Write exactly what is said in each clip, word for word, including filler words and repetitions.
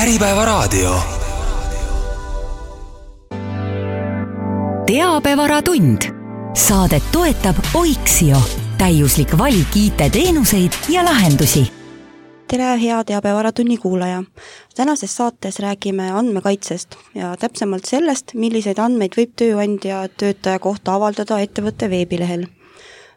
Äripäevaraadio. Teabevaratund. Saadet toetab Oiksio. Täiuslik valik I T-teenuseid ja lahendusi. Tere, hea Teabevaраtunni kuulaja. Tänases saates räägime andmekaitsest ja täpsemalt sellest, milliseid andmeid võib tööandja töötaja kohta avaldada ettevõtte veebilehel.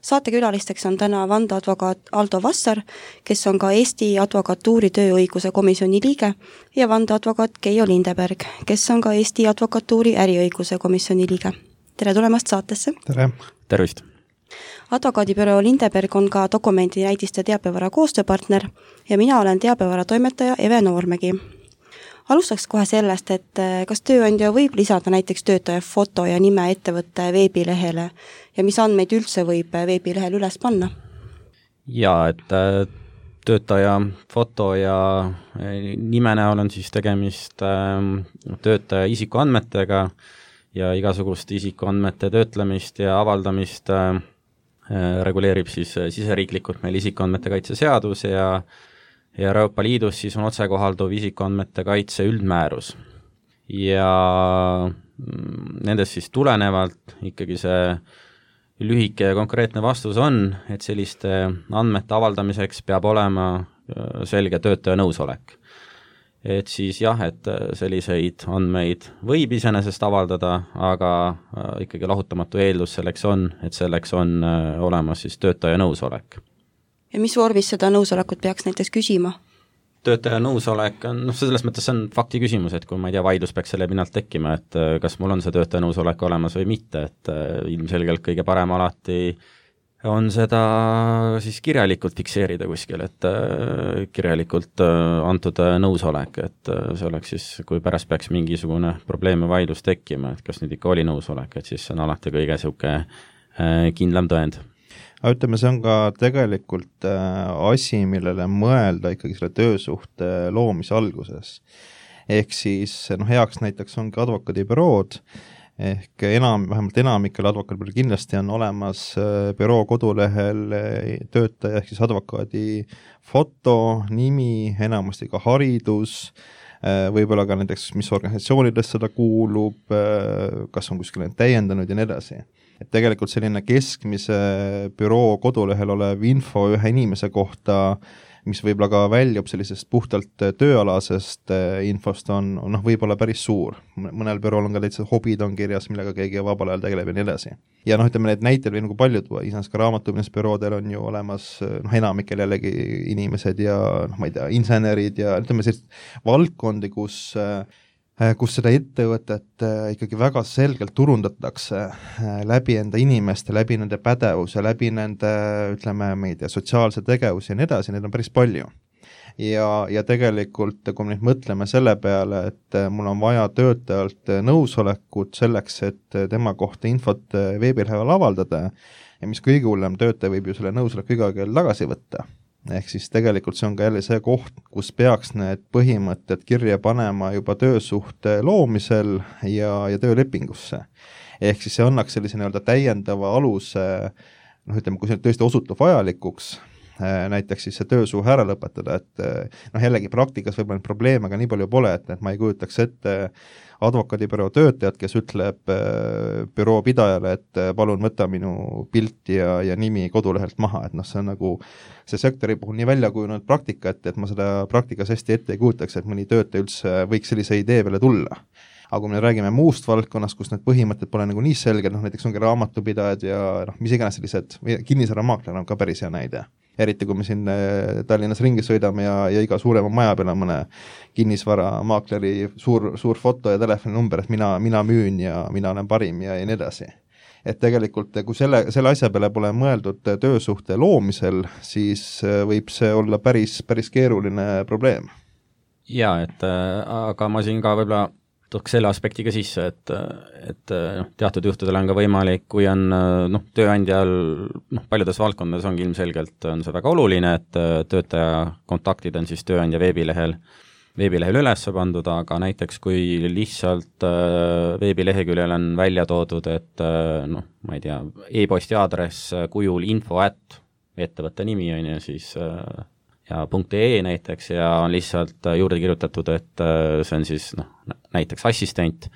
Saatekülalisteks on täna vandeadvokaat Aldo Vassar, kes on ka Eesti Advokatuuri tööõiguse komisjoni liige, ja vandeadvokaat Keijo Lindeberg, kes on ka Eesti Advokatuuri äriõiguse komisjoni liige. Tere tulemast saatesse! Tere! Tervist! Advokaadibüroo Lindeberg on ka dokumendi näidiste teabevara koostööpartner ja mina olen teabevara toimetaja Eve Noormägi. Alustaks kohe sellest, et kas tööandja võib lisada näiteks töötaja foto ja nime ettevõtte veebilehele ja mis andmeid üldse võib veebilehel üles panna? Jaa, et töötaja foto ja nime näol on siis tegemist töötaja isikuandmetega ja igasugust isikuandmete töötlemist ja avaldamist reguleerib siis siseriiklikult meil isikuandmete kaitse seadus ja ja Euroopa Liidus siis on otsekohalduv isikuandmete kaitse üldmäärus. Ja nendest siis tulenevalt ikkagi see lühike ja konkreetne vastus on, et selliste andmete avaldamiseks peab olema selge töötaja nõusolek. Et siis jah, et selliseid andmeid võib iseenesest avaldada, aga ikkagi lahutamatu eeldus selleks on, et selleks on olemas siis töötaja nõusolek. Ja mis vormis seda nõusolekut peaks näiteks küsima? Töötaja nõusolek on, noh, selles mõttes see on fakti küsimus, et kui ma ei tea, vaidlus peaks selle pinnalt tekkima, et kas mul on see töötaja nõusolek olemas või mitte, et ilmselgelt kõige parem alati on seda siis kirjalikult fikseerida kuskil, et kirjalikult antud nõusolek, et see oleks siis, kui pärast peaks mingisugune probleem ja vaidlus tekkima, et kas nüüd ikka oli nõusolek, et siis see on alati kõige sihuke kindlam tõend. Aga ütleme, see on ka tegelikult asi, millele mõelda ikkagi selle töösuhte loomise alguses. Ehk siis no, heaks näiteks ongi advokaadibürood, ehk enam, vähemalt enamikel advokaadibürool kindlasti on olemas büroo kodulehel töötaja ehk siis advokaadi foto, nimi, enamasti ka haridus, võib-olla ka näiteks, mis organisatsioonidest seda kuulub, kas on kuskil täiendanud ja nii edasi. Et tegelikult selline keskmise büroo kodulehel olev info ühe inimese kohta, mis võib-olla ka väljub sellisest puhtalt tööalasest infost, on, on noh, võib-olla päris suur. Mõnel bürool on ka täitsa hobid on kirjas, millega keegi vabal ajal tegeleb ja nii edasi. Ja noh, ütleme, need näitel või nagu paljud, iseenesest ka raamatupidamisbüroodel on ju olemas noh, enamikel jällegi inimesed ja noh, ma ei tea, insenerid ja ütleme sellist valdkondi, kus kus seda ettevõtet ikkagi väga selgelt turundatakse läbi enda inimeste, läbi nende pädevuse, läbi nende, ütleme, ma ei tea, sotsiaalse tegevuse ja nii edasi, neid on päris palju. Ja, ja tegelikult, kui me nüüd mõtleme selle peale, et mul on vaja töötajalt nõusolekut selleks, et tema kohta infot veebilehel avaldada ja mis kõige hullem, töötaja võib ju selle nõusoleku iga kell tagasi võtta. Ehk siis tegelikult see on ka jälle see koht, kus peaks need põhimõtted kirja panema juba töösuhte loomisel ja, ja töölepingusse. Ehk siis see annaks sellise nii-öelda täiendava aluse, noh ütleme, kui see tõesti osutub vajalikuks, näiteks siis see töösuhe ära lõpetada, et noh jällegi praktikas võib-olla probleeme aga nii palju pole, et, et ma ei kujutaks ette advokaadibüroo töötajad, kes ütleb büroo pidajale, et palun võta minu pilt ja, ja nimi kodulehelt maha, et noh, see on nagu see sektori puhul nii välja kujunenud praktika, et, et ma seda praktikas hästi ette ei kujutaks, et mõni töötaja üldse võiks sellise idee peale tulla. Aga kui me räägime muust valdkonnast, kus need põhimõtted pole nagu nii selged, noh näiteks ongi raamatupidajad ja noh, mis iganes sellised, kinnisvaramaakler on ka päris hea näide. Eriti kui me siin Tallinnas ringi sõidame ja, ja iga suurema maja peale mõne kinnisvaramaakleri suur, suur foto ja telefoninumber, et mina, mina müün ja mina olen parim ja, ja nii edasi. Et tegelikult, kui selle, selle asja peale pole mõeldud töösuhte loomisel, siis võib see olla päris, päris keeruline probleem. Jaa, et aga ma siin ka võib-olla tooks selle aspekti ka sisse, et, et noh, teatud juhtudel on ka võimalik, kui on noh, tööandjal noh, paljudes valdkondades ongi ilmselgelt on see väga oluline, et töötaja kontaktid on siis tööandja veebilehel, veebilehel üles pandud, aga näiteks kui lihtsalt veebileheküljel on välja toodud, et noh, ma ei tea, e-posti aadress kujul info at ettevõtte nimi on ja siis ja .ee näiteks ja on lihtsalt juurde kirjutatud, et see on siis noh, näiteks assistent,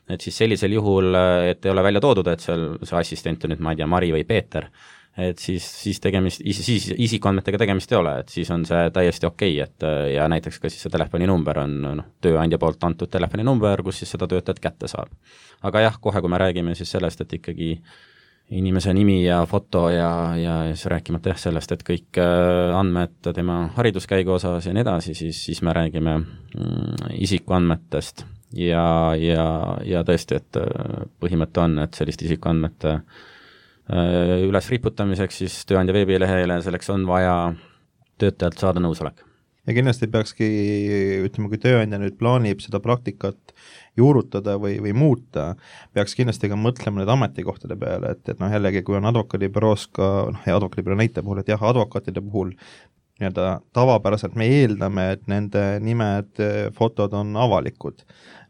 et siis sellisel juhul, et ei ole välja toodud, et seal see assistent on nüüd, ma ei tea, Mari või Peeter, et siis, siis tegemist, siis isikuandmetega tegemist ei ole, et siis on see täiesti okei, et ja näiteks ka siis see telefoninumber on noh, tööandja poolt antud telefoninumber, kus siis seda töötajat kätte saab. Aga jah, kohe kui me räägime siis sellest, et ikkagi inimese nimi ja foto ja, ja siis rääkimata jah sellest, et kõik andmed tema hariduskäigu osas ja nii edasi, siis, siis me räägime mm, isikuandmetest ja, ja, ja tõesti, et põhimõte on, et sellist isikuandmete üles riputamiseks siis tööandja veebilehele, selleks on vaja töötajalt saada nõusolek. Ja kindlasti peakski, ütleme, kui tööandja nüüd plaanib seda praktikat juurutada või, või muuta, peaks kindlasti ka mõtlema need ametikohtade peale, et, et noh, jällegi, kui on advokaadibüroos ka, noh, ja advokaadibüroo näite puhul, et jah, advokaatide puhul nii-öelda tavapäraselt me eeldame, et nende nimed, fotod on avalikud.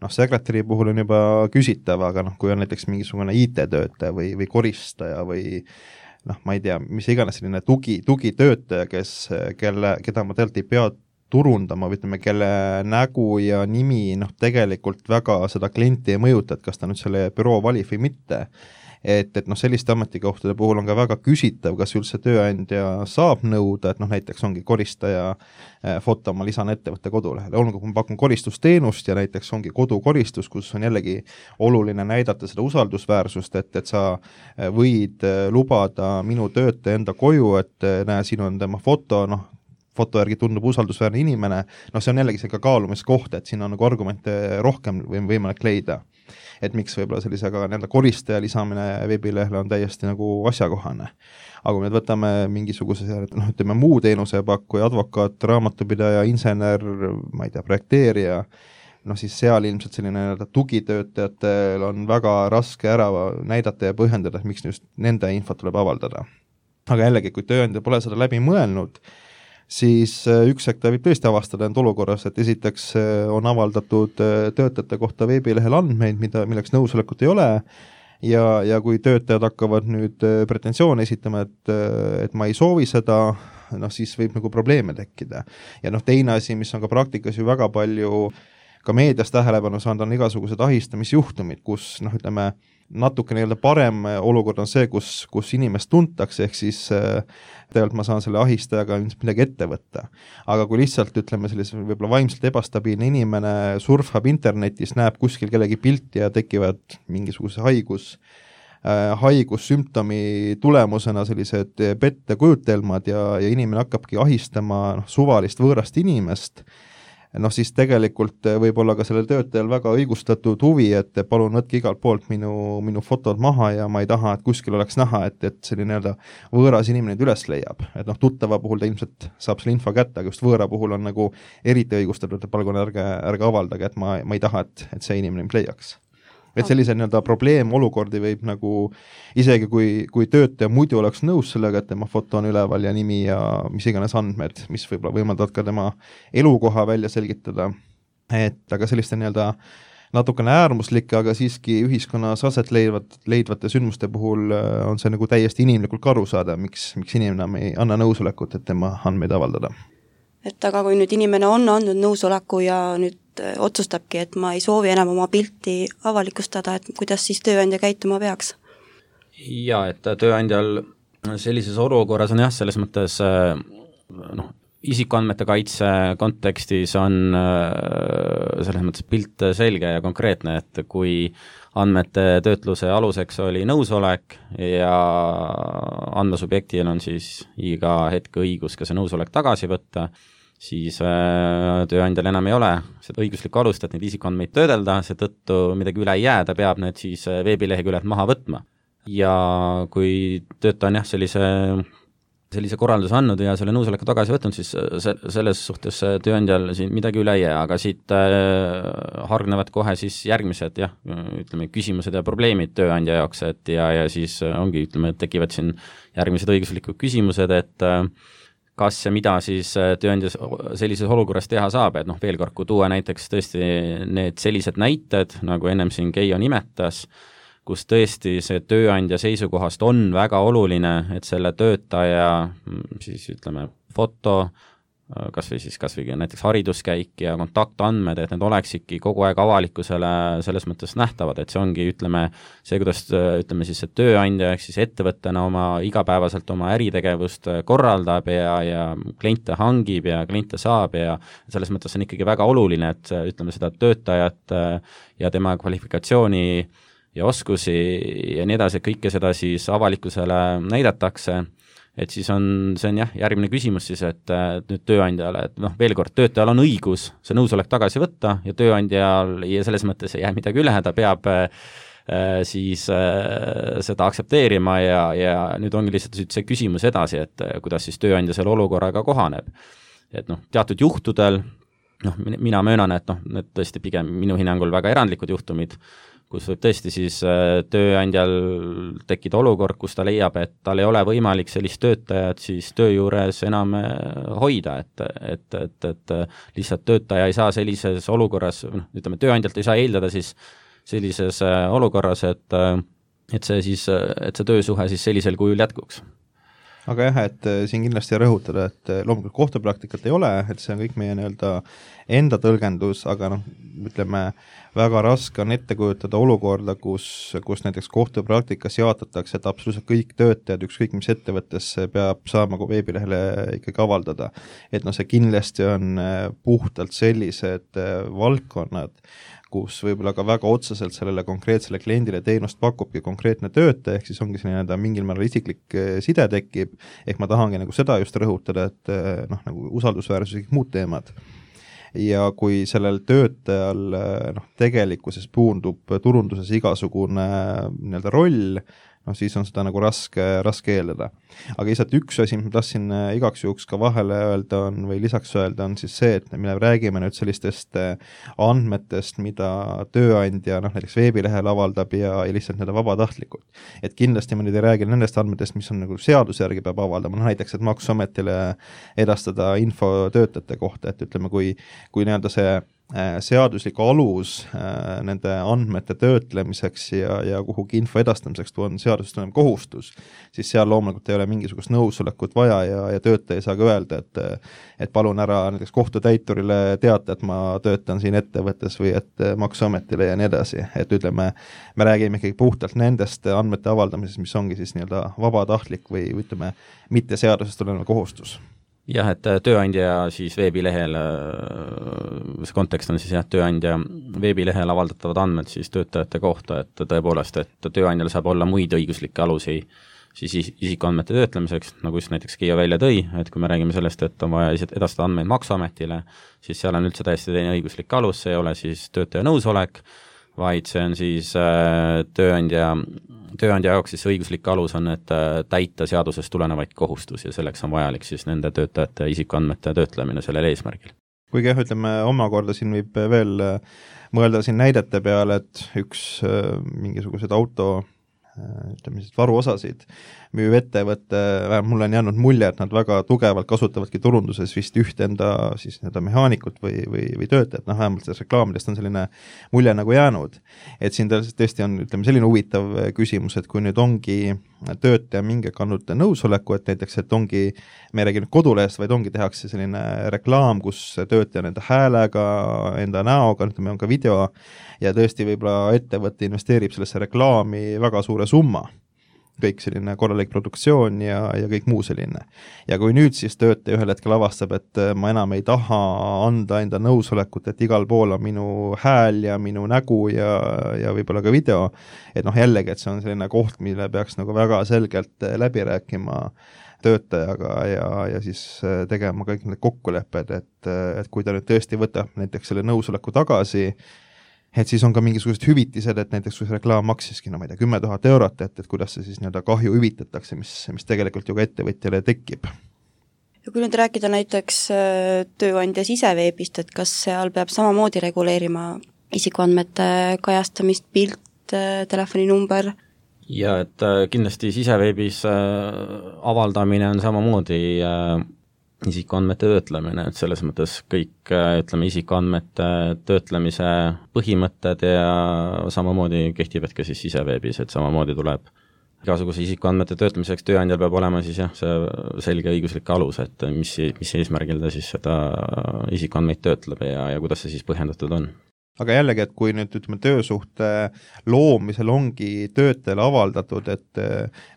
Noh, sekretäri puhul on juba küsitav, aga noh, kui on näiteks mingisugune I T-töötaja või, või koristaja või noh, ma ei tea, mis iganes selline tugi, tugitöötaja, kes, kelle, keda ma tegelikult ei pea turundama, või ütleme, kelle nägu ja nimi noh, tegelikult väga seda klienti ei mõjuta, et kas ta nüüd selle büroo valib või mitte. Et, et noh, selliste ametikohtade puhul on ka väga küsitav, kas üldse tööandja saab nõuda, et noh, näiteks ongi koristaja foto, ma lisan ettevõtte kodulehele, olgu, kui ma pakun koristusteenust ja näiteks ongi kodukoristus, kus on jällegi oluline näidata seda usaldusväärsust, et, et sa võid lubada minu töötaja enda koju, et näe, siin on tema foto, noh, foto järgi tundub usaldusväärne inimene, noh, see on jällegi see ka kaalumiskoht, et siin on nagu argumente rohkem või võimalik leida. Et miks võib-olla sellise ka nii-öelda koristaja lisamine veebilehele on täiesti nagu asjakohane. Aga kui me võtame mingisuguse, noh, ütleme muu teenusepakkuja, advokaat, raamatupidaja, insener, ma ei tea, projekteerija, noh siis seal ilmselt selline tugitöötajatel on väga raske ära näidata ja põhjendada, et miks just nende infot tuleb avaldada. Aga jällegi, kui tööandja pole seda läbi mõelnud, siis üks hetk ta võib tõesti avastada end olukorras, et esiteks on avaldatud töötajate kohta veebilehel andmeid, mida, milleks nõusolekut ei ole, ja, ja kui töötajad hakkavad nüüd pretensioone esitama, et, et ma ei soovi seda, noh siis võib nagu probleeme tekkida. Ja noh, teine asi, mis on ka praktikas ju väga palju ka meedias tähelepanu saanud, on igasugused ahistamisjuhtumid, kus noh, ütleme, natuke nii-öelda parem olukord on see, kus, kus inimest tuntakse, ehk siis äh, tegelikult ma saan selle ahistajaga midagi ette võtta. Aga kui lihtsalt, ütleme, sellise võib-olla vaimselt ebastabiilne inimene surfab internetis, näeb kuskil kellegi pilti ja tekivad mingisuguse haigus, äh, haigussümptomi tulemusena sellised pettekujutelmad ja, ja inimene hakkabki ahistama noh, suvalist võõrast inimest, noh siis tegelikult võib olla ka sellel töötajal väga õigustatud huvi, et palun võtke igalt poolt minu, minu fotod maha ja ma ei taha, et kuskil oleks näha, et, et selline nii-öelda võõras inimene üles leiab. Et noh, tuttava puhul ta ilmselt saab selle info kätte, aga just võõra puhul on nagu eriti õigustatud, et palun ärge, ärge avaldage, et ma, ma ei taha, et, et see inimene mind leiaks. Et sellise nii-öelda probleemolukordi võib nagu, isegi kui, kui töötaja muidu oleks nõus sellega, et tema foto on üleval ja nimi ja mis iganes andmed, mis võib-olla võimaldavad ka tema elukoha välja selgitada, et aga selliste nii-öelda natukene äärmuslike, aga siiski ühiskonnas aset leidvat, leidvate sündmuste puhul on see nagu täiesti inimlikult ka aru saada, miks, miks inimene ei anna nõusolekut, et tema andmeid avaldada. Et aga kui nüüd inimene on andnud nõusoleku ja nüüd otsustabki, et ma ei soovi enam oma pilti avalikustada, et kuidas siis tööandja käituma peaks? Jaa, et tööandjal sellises olukorras on jah, selles mõttes noh, isikuandmete kaitse kontekstis on selles mõttes pilt selge ja konkreetne, et kui andmete töötluse aluseks oli nõusolek ja andmesubjektil on siis iga hetk õigus ka see nõusolek tagasi võtta, siis tööandjal enam ei ole seda õiguslikku alust, et neid isikuandmeid töödelda, seetõttu midagi üle ei jää, ta peab need siis veebileheküljelt maha võtma. Ja kui töötaja on jah, sellise, sellise korralduse andnud ja selle nõusoleku tagasi võtnud, siis selles suhtes tööandjal siin midagi üle ei jää, aga siit hargnevad kohe siis järgmised jah, ütleme, küsimused ja probleemid tööandja jaoks, et ja, ja siis ongi, ütleme, tekivad siin järgmised õiguslikud küsimused, et kas ja mida siis tööandja sellises olukorras teha saab, et noh, veel kord, kui tuua näiteks tõesti need sellised näited, nagu ennem siin Keijo nimetas, kus tõesti see tööandja seisukohast on väga oluline, et selle töötaja siis ütleme foto kas või siis kas või näiteks hariduskäik ja kontaktandmed, et need oleksidki kogu aeg avalikkusele selles mõttes nähtavad, et see ongi, ütleme, see, kuidas ütleme siis, et tööandja ehk siis ettevõttena oma igapäevaselt oma äritegevust korraldab ja, ja kliente hangib ja kliente saab ja selles mõttes on ikkagi väga oluline, et ütleme seda töötajat ja tema kvalifikatsiooni ja oskusi ja nii edasi, kõike seda siis avalikkusele näidatakse, et siis on, see on jah, järgmine küsimus siis, et nüüd tööandjale, et noh, veel kord, töötajal on õigus see nõusolek tagasi võtta ja tööandjal ja selles mõttes ei jää midagi üle, ta peab äh, siis äh, seda aktsepteerima ja, ja nüüd ongi lihtsalt see küsimus edasi, et kuidas siis tööandja selle olukorraga kohaneb. Et noh, teatud juhtudel, noh, mina möönan, et noh, need tõesti pigem minu hinnangul väga erandlikud juhtumid, kus võib tõesti siis tööandjal tekkida olukord, kus ta leiab, et tal ei ole võimalik sellist töötajat siis töö juures enam hoida, et, et, et, et lihtsalt töötaja ei saa sellises olukorras, noh, ütleme, tööandjalt ei saa eeldada siis sellises olukorras, et, et see siis, et see töösuhe siis sellisel kujul jätkuks. Aga jah, et siin kindlasti rõhutada, et loomulikult kohtupraktikat ei ole, et see on kõik meie nii-öelda enda tõlgendus, aga noh, ütleme, väga raske on ette kujutada olukorda, kus, kus näiteks kohtupraktikas jaotatakse, et absoluutselt kõik töötajad, ükskõik mis ettevõttes peab saama kui veebilehele ikkagi avaldada. Et noh, see kindlasti on puhtalt sellised valdkonnad, kus võib-olla ka väga otseselt sellele konkreetsele kliendile teenust pakubki konkreetne töötaja, ehk siis ongi selline mingil määral isiklik side tekib, ehk ma tahangi nagu seda just rõhutada, et noh, nagu usaldusväärsus ja kõik muud teemad. Ja kui sellel töötajal noh, tegelikkuses puundub turunduses igasugune nii-öelda roll, noh siis on seda nagu raske, raske eeldada. Aga lihtsalt üks asi, mis ma tahtsin igaks juhuks ka vahele öelda on, või lisaks öelda on siis see, et me räägime nüüd sellistest andmetest, mida tööandja noh, näiteks veebilehel avaldab ja, ja lihtsalt nii-öelda vabatahtlikult. Et kindlasti ma nüüd ei räägi nendest andmetest, mis on nagu seaduse järgi peab avaldama, no näiteks, et Maksuametile edastada info töötajate kohta, et ütleme, kui, kui nii-öelda see seaduslik alus äh, nende andmete töötlemiseks ja, ja kuhugi info edastamiseks on seadusest tulenev kohustus, siis seal loomulikult ei ole mingisugust nõusolekut vaja ja, ja töötaja ei saa ka öelda, et, et palun ära näiteks kohtutäiturile teata, et ma töötan siin ettevõttes või et Maksuametile ja nii edasi. Et ütleme, me räägime ikkagi puhtalt nendest andmete avaldamisest, mis ongi siis nii-öelda vabatahtlik või ütleme, mitte seadusest tulenev kohustus. Jah, et tööandja siis veebilehel, see kontekst on siis jah, tööandja veebilehel avaldatavad andmed siis töötajate kohta, et tõepoolest, et tööandjal saab olla muid õiguslikke alusi siis isikuandmete töötlemiseks, nagu just näiteks Kiia välja tõi, et kui me räägime sellest, et on vaja edastada andmeid Maksuametile, siis seal on üldse täiesti teine õiguslik alus, see ei ole siis töötaja nõusolek, vaid see on siis tööandja tööandja jaoks siis õiguslik alus on, et täita seadusest tulenevaid kohustusi ja selleks on vajalik siis nende töötajate isikuandmete töötlemine sellel eesmärgil. Kuigi jah, ütleme, omakorda siin võib veel mõelda siin näidete peale, et üks mingisugused auto ütleme siis varuosasid müüv ettevõtte, mulle on jäänud mulje, et nad väga tugevalt kasutavadki turunduses vist üht enda siis nii-öelda mehaanikut või, või, või töötajat, noh vähemalt selles reklaamidest on selline mulje nagu jäänud. Et siin tõesti on, ütleme, selline huvitav küsimus, et kui nüüd ongi töötaja mingi kandnud nõusoleku, et näiteks, et ongi, me ei räägi nüüd kodulehest, vaid ongi tehakse selline reklaam, kus töötaja enda häälega, enda näoga, ütleme, on ka video ja tõesti võib-olla ettevõte investeerib sellesse reklaami väga suure summa. Kõik selline korralik produktsioon ja, ja kõik muu selline. Ja kui nüüd siis töötaja ühel hetkel avastab, et ma enam ei taha anda enda nõusolekut, et igal pool on minu hääl ja minu nägu ja, ja võib-olla ka video, et noh jällegi, et see on selline koht, mille peaks nagu väga selgelt läbi rääkima töötajaga ja, ja siis tegema kõik need kokkulepped, et, et kui ta nüüd tõesti võtab näiteks selle nõusoleku tagasi, et siis on ka mingisugused hüvitised, et näiteks kui see reklaam maksiski, no ma ei tea, kümme tuhat eurot, et, et kuidas see siis nii-öelda kahju hüvitatakse, mis, mis tegelikult ju ka ettevõtjale tekib. Ja kui nüüd rääkida näiteks tööandja siseveebist, et kas seal peab samamoodi reguleerima isikuandmete kajastamist, pilt, telefoninumber? Ja et kindlasti siseveebis avaldamine on samamoodi isikuandmete töötlemine, et selles mõttes kõik, ütleme, isikuandmete töötlemise põhimõtted ja samamoodi kehtivad ka siis siseveebis, et samamoodi tuleb igasuguse isikuandmete töötlemiseks tööandjal peab olema siis jah, see selge õiguslik alus, et mis, mis eesmärgil ta siis seda isikuandmeid töötleb ja, ja kuidas see siis põhjendatud on. Aga jällegi, et kui nüüd ütleme töösuhte loomisel ongi töötajale avaldatud, et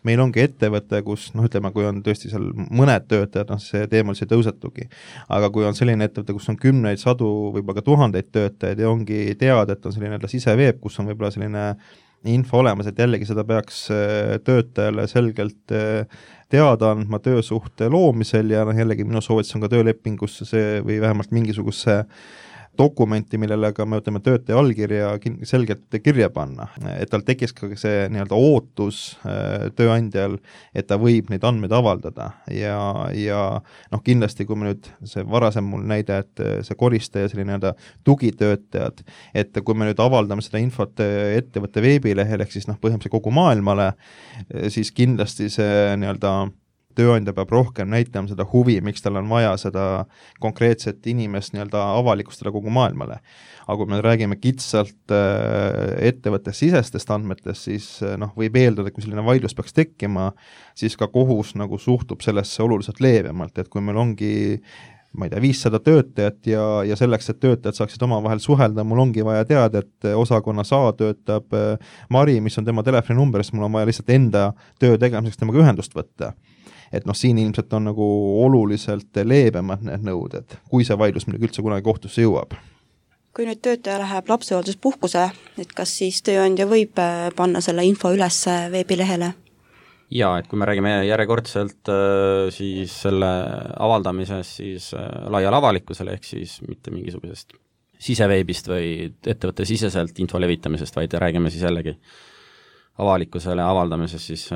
meil ongi ettevõte, kus noh, ütleme, kui on tõesti seal mõned töötajad, noh see teemal see tõusetugi, aga kui on selline ettevõte, kus on kümneid, sadu, võib-olla ka tuhandeid töötajaid ja ongi teada, et on selline siseveeb, kus on võib-olla selline info olemas, et jällegi seda peaks töötajale selgelt teada andma töösuhte loomisel ja noh, jällegi minu soovitus on ka töölepingusse see või vähemalt mingisuguse dokumenti, millele ka me ütleme töötaja allkirja selgelt kirja panna, et tal tekkis ka see nii-öelda ootus tööandjal, et ta võib neid andmeid avaldada ja, ja noh, kindlasti kui me nüüd, see varasem mul näide, et see koristaja, selline nii-öelda tugitöötajad, et kui me nüüd avaldame seda infot ettevõtte veebilehel, ehk siis noh, põhimõtteliselt kogu maailmale, siis kindlasti see nii-öelda tööandja peab rohkem näitama seda huvi, miks tal on vaja seda konkreetset inimest nii-öelda avalikustada kogu maailmale. Aga kui me räägime kitsalt ettevõtte sisestest andmetest, siis noh, võib eeldada, kui selline vaidlus peaks tekkima, siis ka kohus nagu suhtub sellesse oluliselt leebemalt, et kui meil ongi ma ei tea, viissada töötajat ja, ja selleks, et töötajad saaksid omavahel suhelda, mul ongi vaja teada, et osakonnas A töötab Mari, mis on tema telefoninumber, siis mul on vaja lihtsalt enda töö tegemiseks temaga ühendust võtta. Et noh, siin ilmselt on nagu oluliselt leebemad need nõuded, kui see vaidlus midagi üldse kunagi kohtusse jõuab. Kui nüüd töötaja läheb lapsehoolduspuhkuse, et kas siis tööandja võib panna selle info üles veebilehele? Jaa, et kui me räägime järjekordselt siis selle avaldamisest siis laial avalikkusele, ehk siis mitte mingisugusest siseveebist või ettevõtte siseselt info levitamisest, vaid räägime siis jällegi avalikkusele avaldamises, siis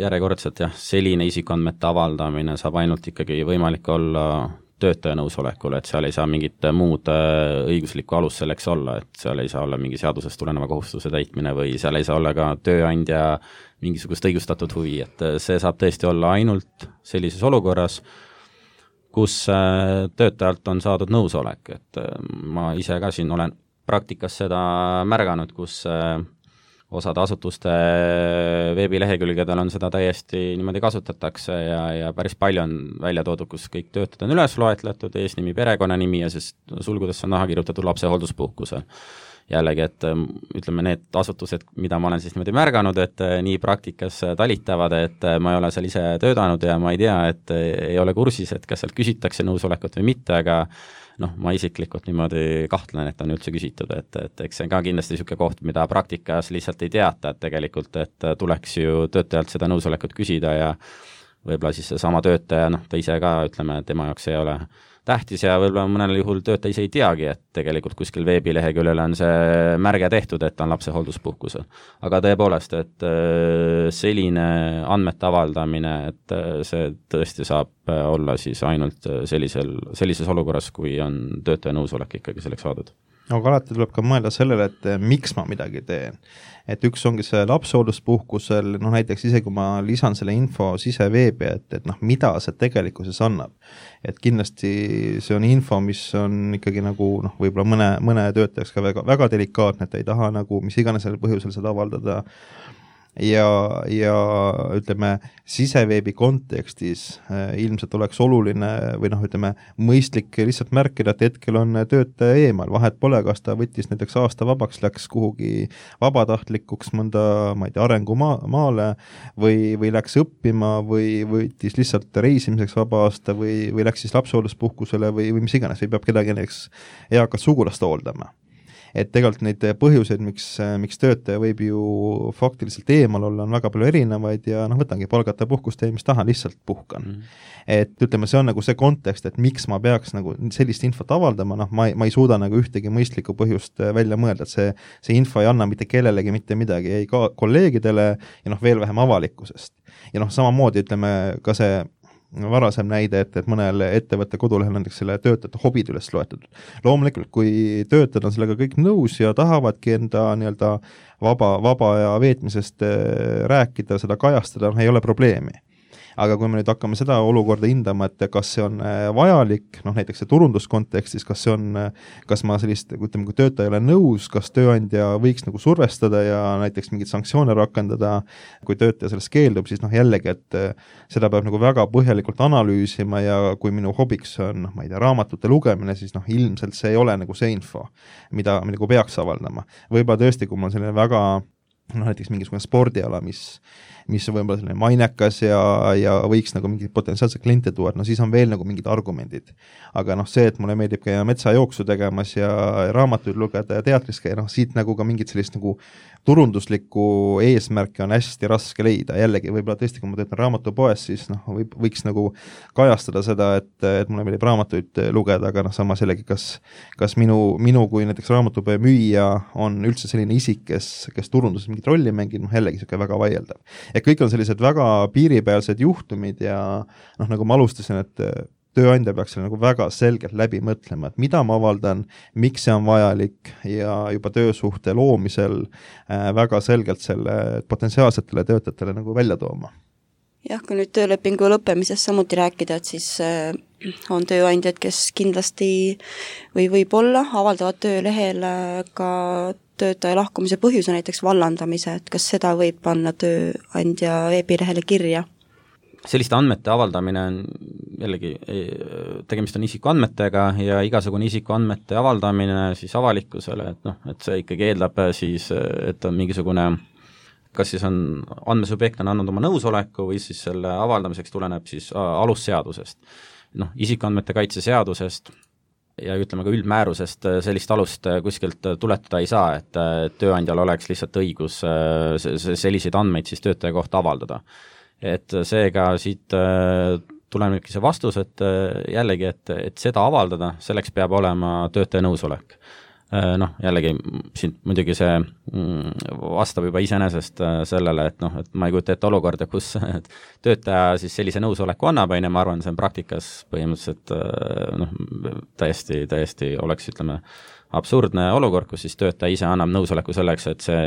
järjekordselt jah, selline isikuandmete avaldamine saab ainult ikkagi võimalik olla töötaja nõusolekul, et seal ei saa mingit muud õiguslikku alus selleks olla, et seal ei saa olla mingi seadusest tuleneva kohustuse täitmine või seal ei saa olla ka tööandja mingisugust õigustatud huvi, et see saab tõesti olla ainult sellises olukorras, kus töötajalt on saadud nõusolek, et ma ise ka siin olen praktikas seda märganud, kus osad asutuste veebilehekülgedel on seda täiesti niimoodi kasutatakse ja, ja päris palju on välja toodud, kus kõik töötajad on üles loetletud, eesnimi, perekonnanimi ja siis sulgudesse on naha kirjutatud lapsehoolduspuhkusel. Jällegi, et ütleme need asutused, mida ma olen siis niimoodi märganud, et nii praktikas talitavad, et ma ei ole seal ise töötanud ja ma ei tea, et ei ole kursis, et kas sealt küsitakse nõusolekut või mitte, aga noh, ma isiklikult niimoodi kahtlen, et on üldse küsitud, et, et eks see on ka kindlasti niisugune koht, mida praktikas lihtsalt ei teata, et tegelikult, et tuleks ju töötajalt seda nõusolekut küsida ja võib-olla siis sama töötaja, noh, ta ise ka, ütleme, tema jaoks ei ole tähtis ja võib-olla mõnel juhul töötaja ise ei teagi, et tegelikult kuskil veebileheküljel on see märge tehtud, et on lapsehoolduspuhkusel. Aga tõepoolest, et selline andmete avaldamine, et see tõesti saab olla siis ainult sellisel, sellises olukorras, kui on töötaja nõusolek ikkagi selleks saadud. Aga alati tuleb ka mõelda sellele, et miks ma midagi teen. Et üks ongi see lapsehoolduspuhkusel, noh näiteks ise, kui ma lisan selle info siseveebi, et, et noh, mida see tegelikkuses annab. Et kindlasti see on info, mis on ikkagi nagu noh, võib-olla mõne, mõne töötajaks ka väga, väga delikaatne, et ei taha nagu mis iganes selle põhjusel seda avaldada. Ja, ja ütleme, siseveebi kontekstis äh, ilmselt oleks oluline või noh, ütleme, mõistlik lihtsalt märkida, et hetkel on töötaja eemal, vahet pole, kas ta võttis näiteks aasta vabaks, läks kuhugi vabatahtlikuks mõnda, ma ei tea, arengumaale või, või läks õppima või võttis lihtsalt reisimiseks vaba aasta või, või läks siis lapsehoolduspuhkusele või, või mis iganes, või peab kedagi näiteks eakat sugulast hooldama. Et tegelikult neid põhjuseid, miks, miks töötaja võib ju faktiliselt eemal olla, on väga palju erinevaid ja noh, võtangi palgata puhkust ja mis tahan, lihtsalt puhkan. Mm. Et ütleme, see on nagu see kontekst, et miks ma peaks nagu sellist infot avaldama, noh, ma ei, ma ei suuda nagu ühtegi mõistlikku põhjust välja mõelda, et see, see info ei anna mitte kellelegi mitte midagi, ei ka kolleegidele ja noh, veel vähem avalikkusest. Ja noh, samamoodi ütleme ka see varasem näide, et, et mõnel ettevõtte kodulehel näiteks selle töötajate hobid üles loetud. Loomulikult, kui töötajad on sellega kõik nõus ja tahavadki enda nii-öelda vaba, vaba ja veetmisest rääkida, seda kajastada, ei ole probleemi. aga kui me nüüd hakkame seda olukorda hindama, et kas see on vajalik, noh näiteks see turunduskontekstis, kas see on, kas ma sellist, ütleme, kui töötaja ei ole nõus, kas tööandja võiks nagu survestada ja näiteks mingeid sanktsioone rakendada, kui töötaja sellest keeldub, siis noh jällegi, et seda peab nagu väga põhjalikult analüüsima ja kui minu hobiks on, noh ma ei tea, raamatute lugemine, siis noh ilmselt see ei ole nagu see info, mida me nagu peaks avaldama. Võib-olla tõesti, kui mul on selline väga noh, näiteks mingisugune spordiala, mis, mis on võib-olla selline mainekas ja, ja võiks nagu mingid potentsiaalsed kliente tuua, no siis on veel nagu mingid argumendid. Aga noh, see, et mulle meeldib käia metsajooksu tegemas ja raamatuid lugeda ja teatris käia, noh siit nagu ka mingid sellist nagu turunduslikku eesmärki on hästi raske leida. Jällegi, võib-olla tõesti, kui ma töötan raamatupoes, siis noh, võib, võiks nagu kajastada seda, et, et mulle meeldib raamatuid lugeda, aga noh, samas jällegi, kas, kas minu, minu kui näiteks raamatupoe müüja on üldse selline isik, kes, kes turunduses mingit rolli mängib, noh jällegi siuke väga vaieldav. Et kõik on sellised väga piiripealsed juhtumid ja noh, nagu ma alustasin, et tööandja peaks selle nagu väga selgelt läbi mõtlema, et mida ma avaldan, miks see on vajalik ja juba töösuhte loomisel äh, väga selgelt selle potentsiaalsetele töötajatele nagu välja tooma. Jah, kui nüüd töölepingu lõppemisest samuti rääkida, et siis äh, on tööandjad, kes kindlasti või võib-olla avaldavad töölehel ka töötaja lahkumise põhjuse, näiteks vallandamise, et kas seda võib panna tööandja veebilehele kirja? Selliste andmete avaldamine on jällegi, tegemist on isikuandmetega ja igasugune isikuandmete avaldamine siis avalikkusele, et noh, et see ikkagi eeldab siis, et on mingisugune, kas siis on andmesubjekt on andnud oma nõusoleku või siis selle avaldamiseks tuleneb siis alusseadusest. Noh, isikuandmete kaitse seadusest ja ütleme ka üldmäärusest sellist alust kuskilt tuletada ei saa, et tööandjal oleks lihtsalt õigus selliseid andmeid siis töötaja kohta avaldada. Et seega siit tulenebki see vastus, et jällegi, et, et seda avaldada, selleks peab olema töötaja nõusolek. Noh, jällegi siin muidugi see vastab juba iseenesest sellele, et noh, et ma ei kujuta ette olukorda, kus töötaja siis sellise nõusoleku annab, ja ma arvan, see on praktikas põhimõtteliselt noh, täiesti, täiesti oleks, ütleme, absurdne olukord, kus siis töötaja ise annab nõusoleku selleks, et see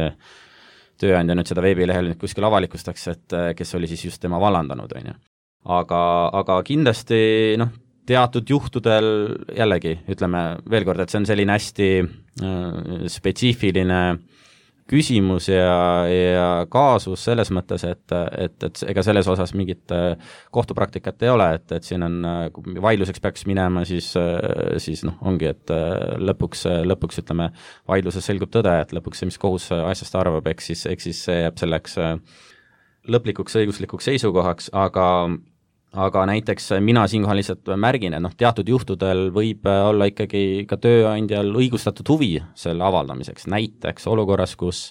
tööandja nüüd seda veebilehel nüüd kuskil avalikustaks, et kes oli siis just tema vallandanud, on ju. Aga, aga kindlasti noh, teatud juhtudel jällegi, ütleme veel kord, et see on selline hästi äh, spetsiifiline küsimus ja, ja kaasus selles mõttes, et, et, et ega selles osas mingit kohtupraktikat ei ole, et, et siin on, kui vaidluseks peaks minema, siis, siis noh, ongi, et lõpuks, lõpuks ütleme, vaidluses selgub tõde, et lõpuks see, mis kohus asjast arvab, eks siis, eks siis see jääb selleks lõplikuks õiguslikuks seisukohaks, aga aga näiteks mina siinkohal lihtsalt märgin, et noh, teatud juhtudel võib olla ikkagi ka tööandjal õigustatud huvi selle avaldamiseks, näiteks olukorras, kus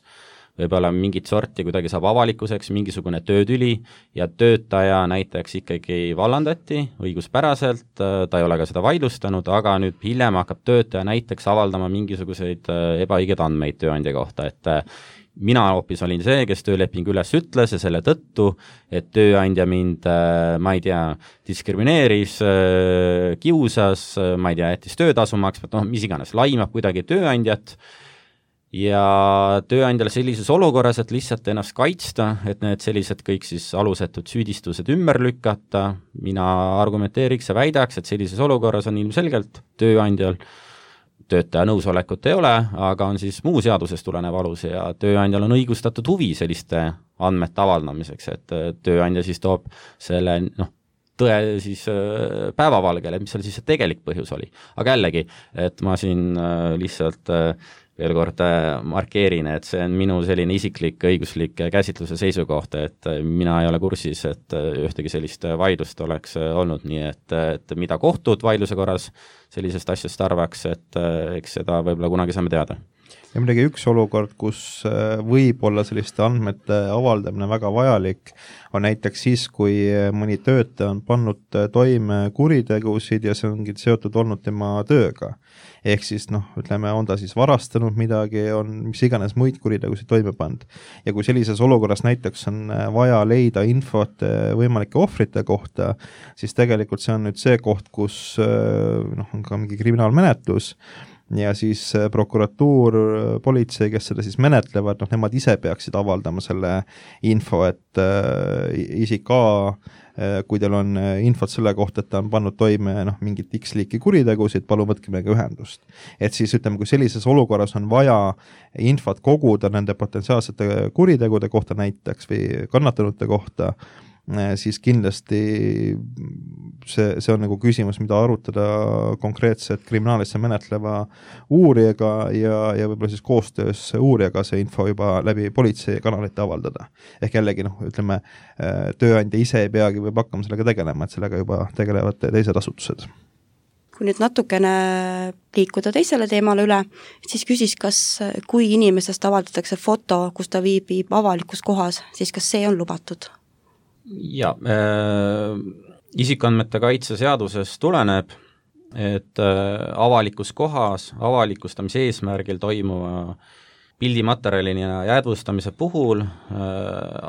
võib-olla mingit sorti kuidagi saab avalikuseks mingisugune töötüli ja töötaja näiteks ikkagi vallandati õiguspäraselt, ta ei ole ka seda vaidlustanud, aga nüüd hiljem hakkab töötaja näiteks avaldama mingisuguseid ebaõigeid andmeid tööandja kohta, et mina hoopis olin see, kes tööleping üles ütles ja selle tõttu, et tööandja mind, ma ei tea, diskrimineeris, kiusas, ma ei tea, jättis töötasu maksma, noh, mis iganes, laimab kuidagi tööandjat ja tööandjal sellises olukorras, et lihtsalt ennast kaitsta, et need sellised kõik siis alusetud süüdistused ümber lükata, mina argumenteeriks ja väidaks, et sellises olukorras on ilmselgelt tööandjal töötaja nõusolekut ei ole, aga on siis muu seadusest tulenev alus ja tööandjal on õigustatud huvi selliste andmete avaldamiseks, et tööandja siis toob selle noh, tõe siis päevavalgele, mis seal siis see tegelik põhjus oli. Aga jällegi, et ma siin lihtsalt veel kord markeerin, et see on minu selline isiklik õiguslik käsitluse seisukoht, et mina ei ole kursis, et ühtegi sellist vaidlust oleks olnud, nii et, et mida kohtud vaidluse korras sellisest asjast arvaks, et eks seda võib-olla kunagi saame teada. Ja midagi üks olukord, kus võib olla selliste andmete avaldamine väga vajalik, on näiteks siis, kui mõni töötaja on pannud toime kuritegusid ja see ongi seotud olnud tema tööga. Ehk siis noh, ütleme, on ta siis varastanud midagi, on mis iganes muid kuritegusid toime pannud. Ja kui sellises olukorras näiteks on vaja leida infot võimalike ohvrite kohta, siis tegelikult see on nüüd see koht, kus noh, on ka mingi kriminaalmenetlus ja siis prokuratuur, politsei, kes seda siis menetlevad, noh, nemad ise peaksid avaldama selle info, et äh, isik A, kui teil on infot selle kohta, et ta on pannud toime noh, mingit X liiki kuritegusid, palun võtke meiega ühendust. Et siis ütleme, kui sellises olukorras on vaja infot koguda nende potentsiaalsete kuritegude kohta näiteks või kannatanute kohta, siis kindlasti see, see on nagu küsimus, mida arutada konkreetselt kriminaalasja menetleva uurijaga ja, ja võib-olla siis koostöös uurijaga see info juba läbi politseikanalite avaldada. Ehk jällegi, noh, ütleme, tööandja ise ei peagi võib hakkama sellega tegelema, et sellega juba tegelevad teised asutused. Kui nüüd natukene liikuda teisele teemale üle, siis küsis, kas kui inimesest avaldatakse foto, kus ta viibib avalikus kohas, siis kas see on lubatud? Ja, äh, isikuandmete kaitse seadusest tuleneb, et äh, avalikus kohas avalikustamise eesmärgil toimuva pildimaterjalini ja jäädvustamise puhul äh,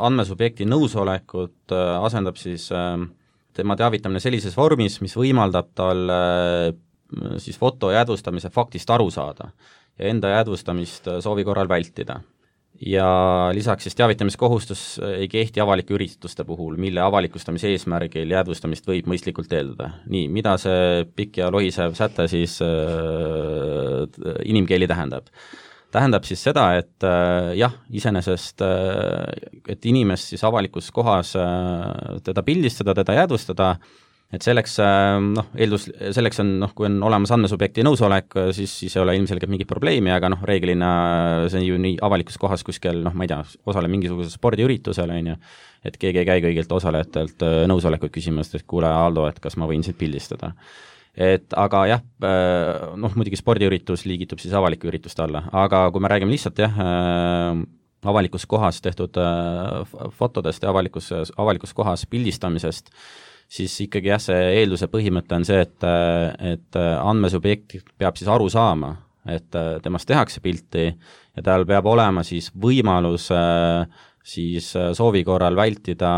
andmesubjekti nõusolekut äh, asendab siis äh, tema teavitamine sellises vormis, mis võimaldab tal äh, siis foto jäädvustamise faktist aru saada ja enda jäädvustamist soovi korral vältida. Ja lisaks siis teavitamiskohustus ei kehti avalike ürituste puhul, mille avalikustamise eesmärgil jäädvustamist võib mõistlikult eeldada. Nii, mida see pikk ja lohisev säte siis äh, inimkeeli tähendab? Tähendab siis seda, et äh, jah, iseenesest, äh, et inimest siis avalikus kohas äh, teda pildistada, teda jäädvustada, et selleks, noh, eeldus, selleks on, noh, kui on olemas andmesubjekti nõusolek, siis, siis ei ole ilmselgelt mingit probleemi, aga noh, reeglina see on ju nii avalikus kohas kuskil, noh, ma ei tea, osale mingisugusel spordiüritusel, on ju, et keegi ei käi kõigilt osalejatelt nõusolekut küsimast, et kuule, Aldo, et kas ma võin siit pildistada. Et aga jah, noh, muidugi spordiüritus liigitub siis avaliku ürituste alla, aga kui me räägime lihtsalt jah, avalikus kohas tehtud fotodest ja avalikus, avalikus kohas pildistamisest, siis ikkagi jah, see eelduse põhimõte on see, et, et andmesubjekt peab siis aru saama, et temast tehakse pilti ja tal peab olema siis võimalus siis soovi korral vältida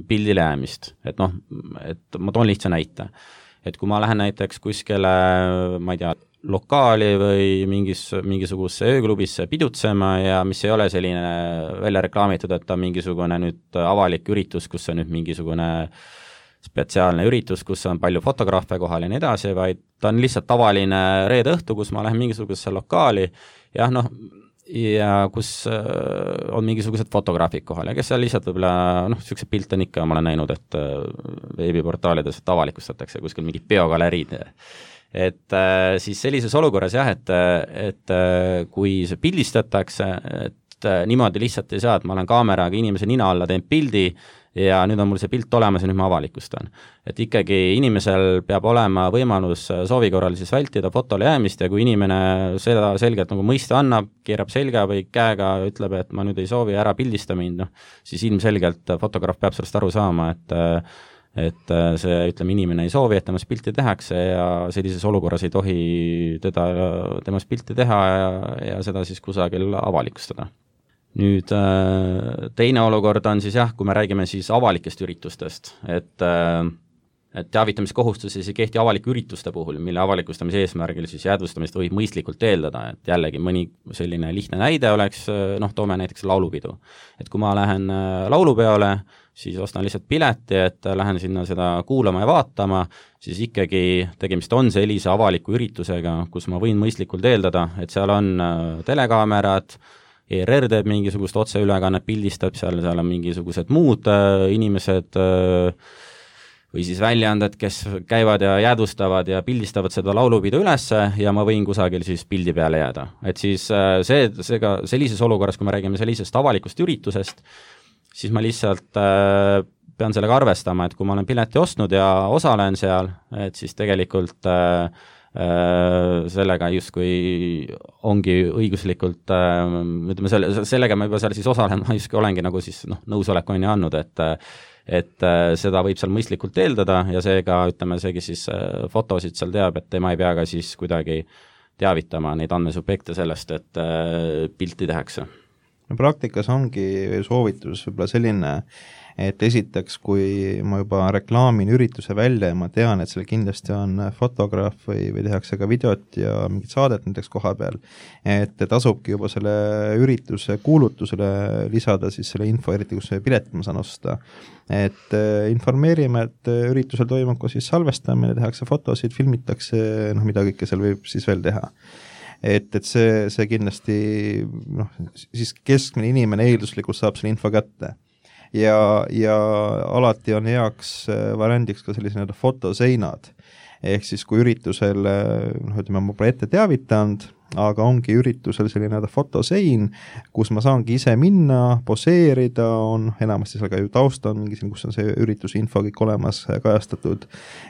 pildile jäämist. Et noh, et ma toon lihtsa näite. Et kui ma lähen näiteks kuskile, ma ei tea, lokaali või mingis, mingisugusesse ööklubisse pidutsema ja mis ei ole selline välja reklaamitud, et ta mingisugune nüüd avalik üritus, kus on nüüd mingisugune spetsiaalne üritus, kus on palju fotograafe kohal ja nii edasi, vaid ta on lihtsalt tavaline reede õhtu, kus ma lähen mingisugusesse lokaali ja noh, ja kus on mingisugused fotograafid kohal ja kes seal lihtsalt võib-olla, noh, niisuguse pilt on ikka, ma olen näinud, et veebiportaalides avalikustatakse kuskil mingid biogaleriid. Et siis sellises olukorras jah, et, et kui see pildistatakse, et niimoodi lihtsalt ei saa, et ma olen kaameraga inimese nina alla teen pildi ja nüüd on mul see pilt olemas ja nüüd ma avalikustan. Et ikkagi inimesel peab olema võimalus soovi korral siis vältida fotole jäämist ja kui inimene seda selgelt nagu mõiste annab, keerab selga või käega, ütleb, et ma nüüd ei soovi ära pildista mind, noh, siis ilmselgelt fotograaf peab sellest aru saama, et et see, ütleme, inimene ei soovi, et temast pilti tehakse ja sellises olukorras ei tohi teda, temast pilti teha ja, ja seda siis kusagil avalikustada. Nüüd teine olukord on siis jah, kui me räägime siis avalikest üritustest, et, et teavitamiskohustus ei kehti avalike ürituste puhul, mille avalikustamise eesmärgil siis jäädvustamist võib mõistlikult eeldada, et jällegi mõni selline lihtne näide oleks, noh, toome näiteks laulupidu. Et kui ma lähen laulupeole, siis ostan lihtsalt pileti, et lähen sinna seda kuulama ja vaatama, siis ikkagi tegemist on sellise avaliku üritusega, kus ma võin mõistlikult eeldada, et seal on telekaamerad, E R R teeb mingisugust otseülekannet, pildistab, seal, seal on mingisugused muud äh, inimesed äh, või siis väljaanded, kes käivad ja jäädvustavad ja pildistavad seda laulupidu ülesse ja ma võin kusagil siis pildi peale jääda. Et siis äh, see, seega sellises olukorras, kui me räägime sellisest avalikust üritusest, siis ma lihtsalt äh, pean sellega arvestama, et kui ma olen pileti ostnud ja osalen seal, et siis tegelikult äh, sellega justkui ongi õiguslikult, ütleme, selle, sellega ma juba seal siis osalen, ma justkui olengi nagu siis noh, nõusolek on ju andnud, et et seda võib seal mõistlikult eeldada ja seega, ütleme, see, kes siis fotosid seal teab, et tema ei pea ka siis kuidagi teavitama neid andmesubjekte sellest, et pilti tehakse. no praktikas ongi soovitus võib-olla selline, et esiteks, kui ma juba reklaamin ürituse välja ja ma tean, et seal kindlasti on fotograaf või, või tehakse ka videot ja mingit saadet näiteks koha peal, et tasubki juba selle ürituse kuulutusele lisada siis selle info, eriti kus see pilet ma saan osta. Et informeerime, et üritusel toimub ka siis salvestamine, tehakse fotosid, filmitakse, noh mida kõike seal võib siis veel teha. Et, et see, see kindlasti, noh, siis keskmine inimene eelduslikult saab selle info kätte. Ja, ja alati on heaks variandiks ka sellise nii-öelda fotoseinad, ehk siis kui üritusel, noh ütleme, ma pole ette teavitanud, aga ongi üritusel selline nii-öelda fotosein, kus ma saangi ise minna, poseerida, on enamasti seal ka ju tausta on mingi, kus on see ürituse info kõik olemas kajastatud,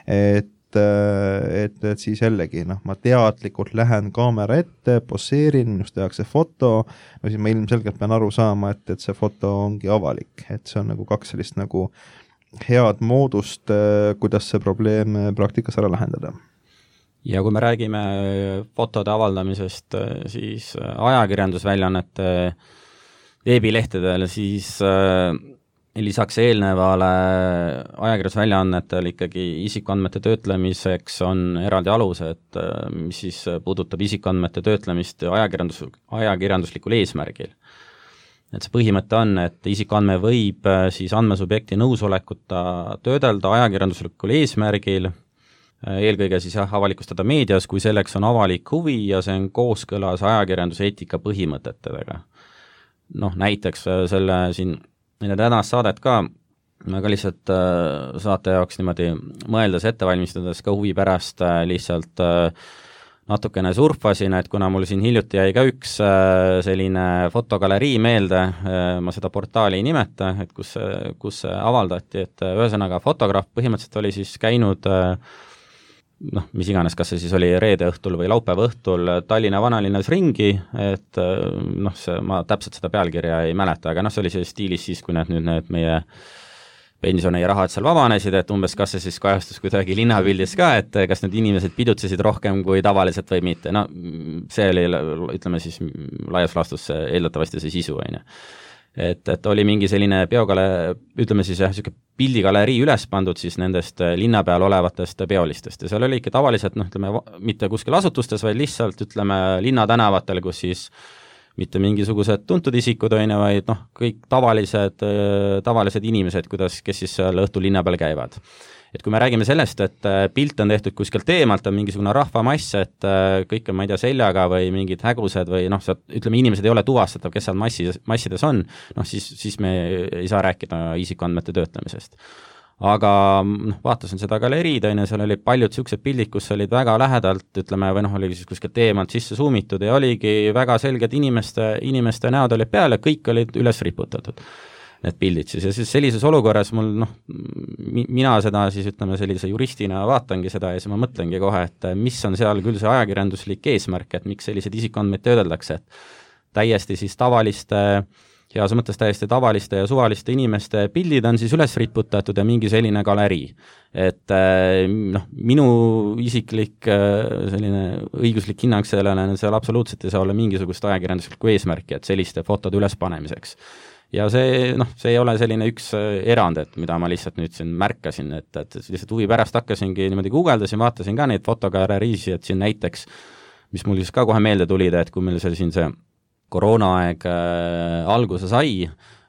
et Et, et siis jällegi, noh, ma teadlikult lähen kaamera ette, poseerin, minust tehakse foto, no siis ma ilmselgelt pean aru saama, et, et see foto ongi avalik, et see on nagu kaks sellist nagu head moodust, kuidas see probleem praktikas ära lahendada. Ja kui me räägime fotode avaldamisest, siis ajakirjandusväljaannete veebilehtedel, siis lisaks eelnevale ajakirjandusväljaannetel ikkagi isikuandmete töötlemiseks on eraldi alused, mis siis puudutab isikuandmete töötlemist ajakirjandus, ajakirjanduslikul eesmärgil. Et see põhimõte on, et isikuandme võib siis andmesubjekti nõusolekuta töödelda ajakirjanduslikul eesmärgil, eelkõige siis jah, avalikustada meedias, kui selleks on avalik huvi ja see on kooskõlas ajakirjanduseetika põhimõtetega. Noh, näiteks selle siin enne tänast saadet ka, ma ka lihtsalt äh, saate jaoks niimoodi mõeldes ette valmistades ka huvi pärast äh, lihtsalt äh, natukene surfasin, et kuna mul siin hiljuti jäi ka üks äh, selline fotogalerii meelde, äh, ma seda portaali ei nimeta, et kus, kus avaldati, et ühesõnaga fotograaf põhimõtteliselt oli siis käinud äh, noh, mis iganes, kas see siis oli reede õhtul või laupäeva õhtul Tallinna vanalinnas ringi, et noh, see, ma täpselt seda pealkirja ei mäleta, aga noh, see oli see stiilis siis, kui need nüüd need meie pensioni rahad seal vabanesid, et umbes kas see siis kajastus kuidagi linnapildis ka, et kas need inimesed pidutsesid rohkem kui tavaliselt või mitte, no see oli, ütleme siis laias laastus eeldatavasti see sisu, on ju. Et, et oli mingi selline peogale, ütleme siis jah, selline pildigalerii üles pandud siis nendest linna peal olevatest peolistest ja seal oli ikka tavaliselt, noh, ütleme, mitte kuskil asutustes, vaid lihtsalt, ütleme, linnatänavatel, kus siis mitte mingisugused tuntud isikud, on, vaid noh, kõik tavalised, tavalised inimesed, kuidas, kes siis seal õhtul linna peal käivad. Et kui me räägime sellest, et pilt on tehtud kuskilt eemalt, on mingisugune rahvamass, et kõik on, ma ei tea, seljaga või mingid hägused või noh, ütleme, inimesed ei ole tuvastatav, kes seal massis, massides on, noh siis, siis me ei saa rääkida isikuandmete töötlemisest. Aga noh, vaatasin seda galeriid, on, seal oli paljud niisugused pildid, kus olid väga lähedalt, ütleme, või noh, oli siis kuskilt eemalt sisse suumitud ja oligi väga selged inimeste, inimeste näod olid peal ja kõik olid üles riputatud. Need pildid siis ja siis sellises olukorras mul noh, mina seda siis ütleme sellise juristina vaatangi seda ja siis ma mõtlengi kohe, et mis on seal küll see ajakirjanduslik eesmärk, et miks sellised isikuandmeid töödeldakse, et täiesti siis tavaliste, heas mõttes täiesti tavaliste ja suvaliste inimeste pildid on siis üles riputatud ja mingi selline galerii. Et noh, minu isiklik selline õiguslik hinnang sellele, seal absoluutselt ei saa olla mingisugust ajakirjanduslikku eesmärki, et selliste fotode üles panemiseks. Ja see, noh, see ei ole selline üks erand, et mida ma lihtsalt nüüd siin märkasin, et, et lihtsalt huvi pärast hakkasingi niimoodi guugeldasin, vaatasin ka neid fotogaleriisi, et siin näiteks, mis mul siis ka kohe meelde tulid, et kui meil see siin see koroonaaeg äh, alguse sai,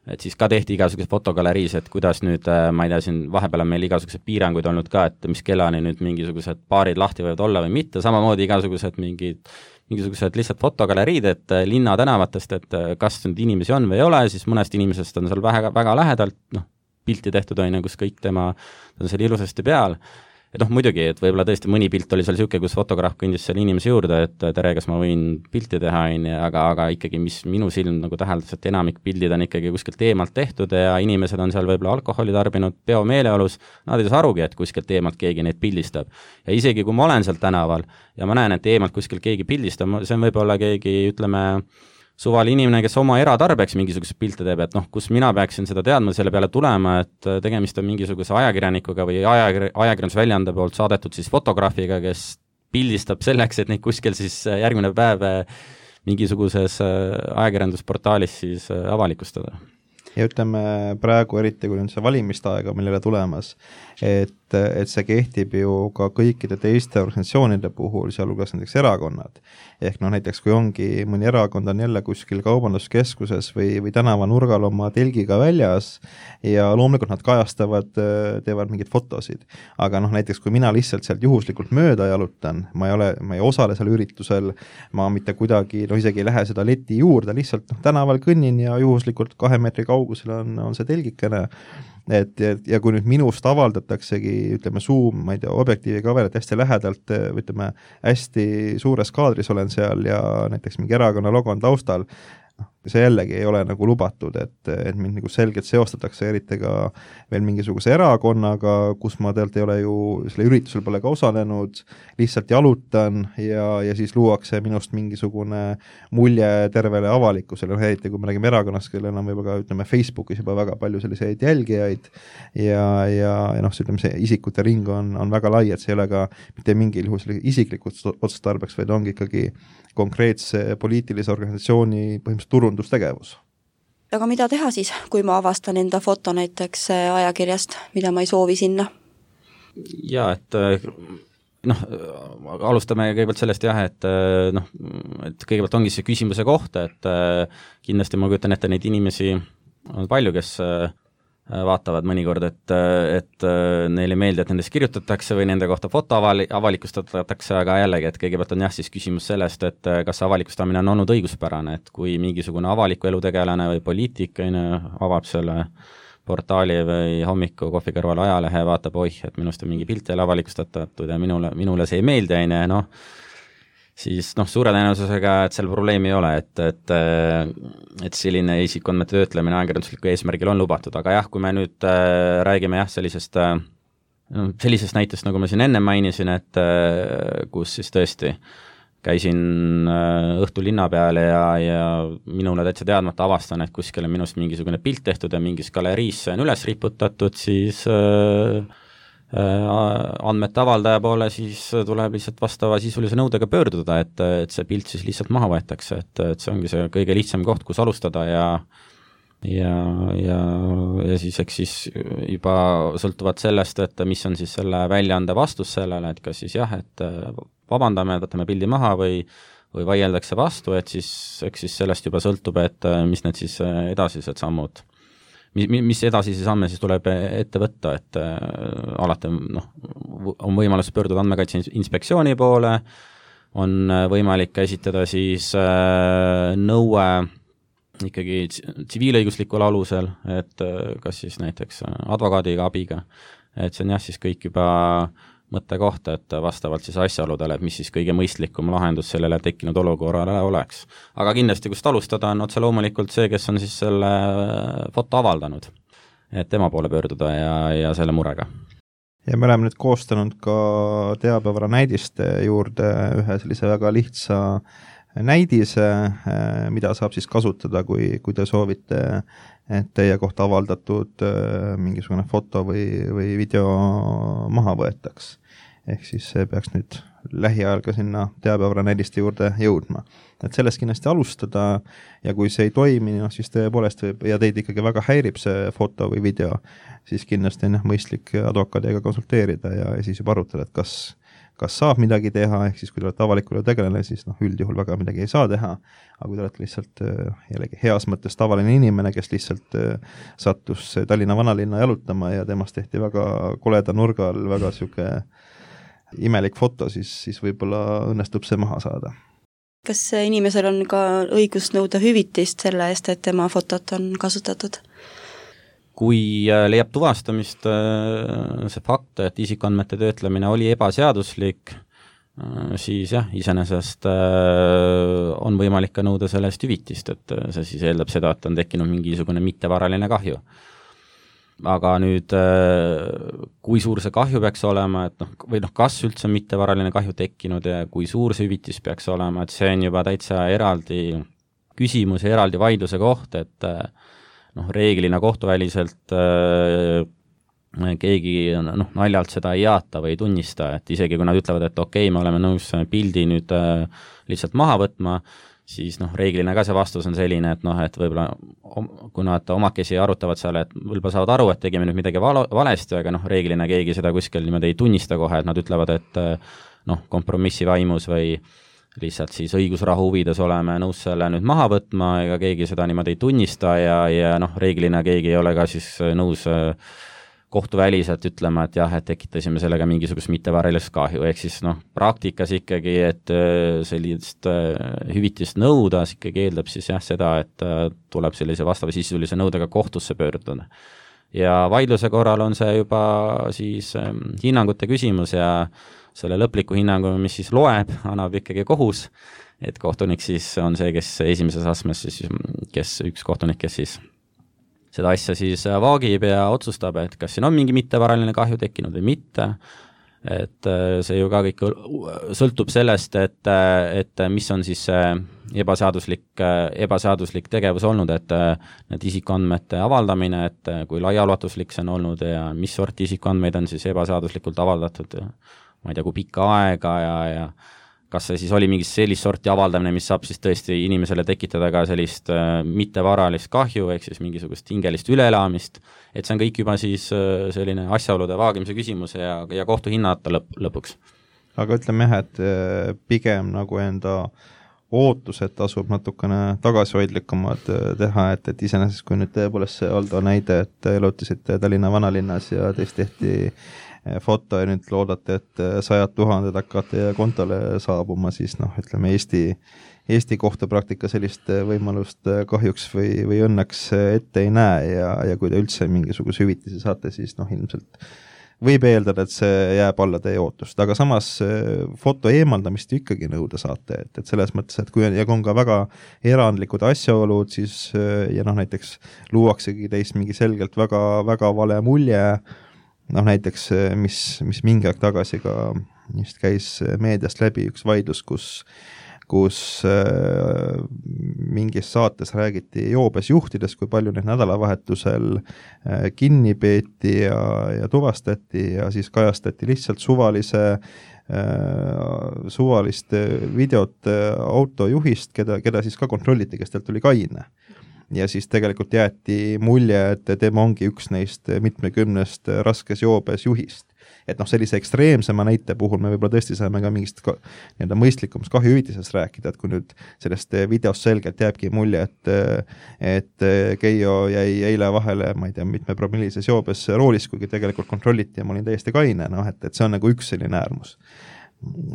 et siis ka tehti igasugused fotogaleriis, et kuidas nüüd, ma ei tea, siin vahepeal on meil igasugused piiranguid olnud ka, et mis kellani nüüd mingisugused baarid lahti võivad olla või mitte, samamoodi igasugused mingid mingisugused lihtsalt fotogaleriid, et linna tänavatest, et kas nüüd inimesi on või ei ole, siis mõnest inimesest on seal väga, väga lähedalt, noh, pilti tehtud on, kus kõik tema, ta on seal ilusasti peal. Et noh, muidugi, et võib-olla tõesti mõni pilt oli seal siuke, kus fotograaf kõndis selle inimese juurde, et tere, kas ma võin pilti teha, aga, aga ikkagi, mis minu silm nagu täheldas, et enamik pildid on ikkagi kuskilt eemalt tehtud ja inimesed on seal võib-olla alkoholi tarbinud peo meeleolus, nad ei saa arugi, et kuskilt eemalt keegi neid pildistab. Ja isegi kui ma olen seal tänaval ja ma näen, et eemalt kuskilt keegi pildistab, see on võib-olla keegi, ütleme, suvali inimene, kes oma eratarbeks mingisugust pilte teeb, et noh, kus mina peaksin seda teadma, selle peale tulema, et tegemist on mingisuguse ajakirjanikuga või ajakir, ajakirjandusväljande poolt saadetud siis fotograafiga, kes pildistab selleks, et neid kuskil siis järgmine päev mingisuguses ajakirjandusportaalis siis avalikustada. Ja ütleme praegu eriti, kui on see valimiste aega millele tulemas, et, et see kehtib ju ka kõikide teiste organisatsioonide puhul, sealhulgas näiteks erakonnad. Ehk noh, näiteks kui ongi mõni erakond on jälle kuskil kaubanduskeskuses või, või tänavanurgal oma telgiga väljas ja loomulikult nad kajastavad, teevad mingeid fotosid. Aga noh, näiteks kui mina lihtsalt sealt juhuslikult mööda jalutan, ma ei ole, ma ei osale seal üritusel, ma mitte kuidagi, no isegi ei lähe seda leti juurde, lihtsalt noh, tänaval kõnnin ja juhuslikult kahe meetri kaugusel on, on see telgikene. Et, et, ja kui nüüd minust avaldataksegi, ütleme, Zoom, ma ei tea, objektiivi kavel, et hästi lähedalt, ütleme, hästi suures kaadris olen seal ja näiteks mingi erakonna logo on taustal, noh, see jällegi ei ole nagu lubatud, et, et mind nagu selgelt seostatakse eriti ka veel mingisuguse erakonnaga, kus ma tegelikult ei ole ju, selle üritusel pole ka osalenud, lihtsalt jalutan ja, ja siis luuakse minust mingisugune mulje tervele avalikkusele, eriti kui me räägime erakonnast, kellel on võib-olla ka, ütleme, Facebookis juba väga palju selliseid jälgijaid ja, ja, ja noh, see, ütleme, see isikute ring on, on väga lai, et see ei ole ka mitte mingil juhul isiklikud otstarbeks, vaid ongi ikkagi konkreetse poliitilise organisatsiooni põhimõtteliselt turundustegevus. Aga mida teha siis, kui ma avastan enda foto näiteks ajakirjast, mida ma ei soovi sinna? Jaa, et noh, alustame kõigepealt sellest jah, et noh, et kõigepealt ongi see küsimuse koht, et kindlasti ma kujutan ette neid inimesi on palju, kes vaatavad mõnikord, et, et neile meeldi, et nendest kirjutatakse või nende kohta foto avali, avalikustatakse, aga jällegi, et kõigepealt on jah siis küsimus sellest, et kas avalikustamine on olnud õiguspärane, et kui mingisugune avaliku elu tegelane või poliitik avab selle portaali või hommiku kohvi kõrval ajalehe, vaatab, oih, et minust on mingi pilt jälle avalikustatud ja minule, minule see ei meeldi, noh, siis noh, suure tõenäosusega, et seal probleemi ei ole, et, et, et selline isikuandmete töötlemine ajakirjandusliku eesmärgil on lubatud, aga jah, kui me nüüd äh, räägime jah, sellisest, äh, sellisest näitest, nagu ma siin enne mainisin, et äh, kus siis tõesti käisin äh, õhtul linna peal ja, ja minule täitsa teadmata avastan, et kuskil on minust mingisugune pilt tehtud ja mingis galeriis on üles riputatud, siis äh, andmete avaldaja poole, siis tuleb lihtsalt vastava sisulise nõudega pöörduda, et, et see pilt siis lihtsalt maha võetakse, et, et see ongi see kõige lihtsam koht, kus alustada ja ja, ja, ja siis eks siis juba sõltuvalt sellest, et mis on siis selle väljaande vastus sellele, et kas siis jah, et vabandame, võtame pildi maha või või vaieldakse vastu, et siis eks siis sellest juba sõltub, et mis need siis edasised sammud mis edasisi samme siis tuleb ette võtta, et äh, alati noh, on võimalus pöörduda andmekaitse inspektsiooni poole, on võimalik esitada siis äh, nõue ikkagi tsiviilõiguslikul alusel, et äh, kas siis näiteks advokaadiga abiga, et see on jah siis kõik juba mõttekoht, et vastavalt siis asjaoludele, et mis siis kõige mõistlikum lahendus sellele tekkinud olukorrale oleks. Aga kindlasti, kust alustada, on otse loomulikult see, kes on siis selle foto avaldanud, et tema poole pöörduda ja, ja selle murega. Ja me oleme nüüd koostanud ka teabevara näidiste juurde ühe sellise väga lihtsa näidise, mida saab siis kasutada, kui, kui te soovite, et teie kohta avaldatud mingisugune foto või, või video maha võetaks. Ehk siis see peaks nüüd lähiajal ka sinna teabevara näidiste juurde jõudma. Et sellest kindlasti alustada ja kui see ei toimi, no, siis tõepoolest võib, ja teid ikkagi väga häirib see foto või video, siis kindlasti on mõistlik advokaadiga konsulteerida ja, ja siis juba arutada, et kas kas saab midagi teha, ehk siis kui te olete avalikule tegelane, siis noh, üldjuhul väga midagi ei saa teha, aga kui te olete lihtsalt jällegi heas mõttes tavaline inimene, kes lihtsalt sattus Tallinna vanalinna jalutama ja temast tehti väga koleda nurgal väga siuke imelik foto, siis, siis võib-olla õnnestub see maha saada. Kas inimesel on ka õigus nõuda hüvitist selle eest, et tema fotot on kasutatud? Kui leiab tuvastamist see fakt, et isikuandmete töötlemine oli ebaseaduslik, siis jah, iseenesest on võimalik ka nõuda selle eest hüvitist, et see siis eeldab seda, et on tekkinud mingisugune mittevaraline kahju. Aga nüüd, kui suur see kahju peaks olema, et noh, või noh, kas üldse on mittevaraline kahju tekkinud ja kui suur see hüvitis peaks olema, et see on juba täitsa eraldi küsimus ja eraldi vaidluse koht, et noh, reeglina kohtuväliselt äh, keegi noh, naljalt seda ei jaata või ei tunnista, et isegi kui nad ütlevad, et okei, me oleme nõus pildi nüüd äh, lihtsalt maha võtma, siis noh, reeglina ka see vastus on selline, et noh, et võib-olla kui nad omakesi arutavad seal, et võib-olla saavad aru, et tegime nüüd midagi val valesti, aga noh, reeglina keegi seda kuskil niimoodi ei tunnista kohe, et nad ütlevad, et noh, kompromissi vaimus või lihtsalt siis õigusrahu huvides oleme nõus selle nüüd maha võtma, ega keegi seda niimoodi ei tunnista ja, ja noh, reeglina keegi ei ole ka siis nõus kohtuväliselt ütlema, et jah, et tekitasime sellega mingisugust mittevaralist kahju, ehk siis noh, praktikas ikkagi, et sellist hüvitist nõuda, ikkagi eeldab siis jah seda, et tuleb sellise vastava sisulise nõudega kohtusse pöörduda. Ja vaidluse korral on see juba siis hinnangute küsimus ja selle lõpliku hinnangu, mis siis loeb, annab ikkagi kohus, et kohtunik siis on see, kes esimeses astmes siis, kes üks kohtunik, kes siis seda asja siis vaagib ja otsustab, et kas siin on mingi mittevaraline kahju tekkinud või mitte, et see ju ka kõik sõltub sellest, et, et mis on siis ebaseaduslik, ebaseaduslik tegevus olnud, et need isikuandmete avaldamine, et kui laiaulatuslik see on olnud ja mis sorti isikuandmeid on siis ebaseaduslikult avaldatud, ma ei tea, kui pikka aega ja, ja kas see siis oli mingi sellist sorti avaldamine, mis saab siis tõesti inimesele tekitada ka sellist äh, mittevaralist kahju, ehk siis mingisugust hingelist üleelamist, et see on kõik juba siis äh, selline asjaolude vaagimise küsimus ja, ja kohtu hinnata lõp lõpuks. Aga ütleme jah, et äh, pigem nagu enda ootused tasub natukene tagasihoidlikumad teha, et, et iseenesest kui nüüd tõepoolest see Aldo näide, et elutisite Tallinna vanalinnas ja teist tehti foto ja nüüd loodate, et sajad tuhanded hakkavad teie kontole saabuma, siis noh, ütleme Eesti, Eesti kohtupraktika sellist võimalust kahjuks või, või õnneks ette ei näe ja, ja kui te üldse mingisuguse hüvitise saate, siis noh, ilmselt võib eeldada, et see jääb alla teie ootust, aga samas foto eemaldamist ikkagi nõuda saate, et, et selles mõttes, et kui on, ja kui on ka väga erandlikud asjaolud, siis ja noh, näiteks luuaksegi teist mingi selgelt väga, väga vale mulje, noh näiteks, mis, mis mingi aeg tagasi ka just käis meediast läbi üks vaidlus, kus, kus äh, mingis saates räägiti joobes juhtidest, kui palju neid nädalavahetusel äh, kinni peeti ja, ja tuvastati ja siis kajastati lihtsalt suvalise äh, suvalist videot autojuhist, keda, keda siis ka kontrolliti, kes talt tuli kaine. Ja siis tegelikult jäeti mulje, et tema ongi üks neist mitmekümnest raskes joobes juhist. Et noh, sellise ekstreemsema näite puhul me võib-olla tõesti saame ka mingist ka, nii-öelda mõistlikumast kahjuhüvitisest rääkida, et kui nüüd sellest videost selgelt jääbki mulje, et, et Keijo jäi eile vahele, ma ei tea, mitme promillises joobes roolis, kuigi tegelikult kontrolliti ja ma olin täiesti kaine, noh, et, et see on nagu üks selline äärmus.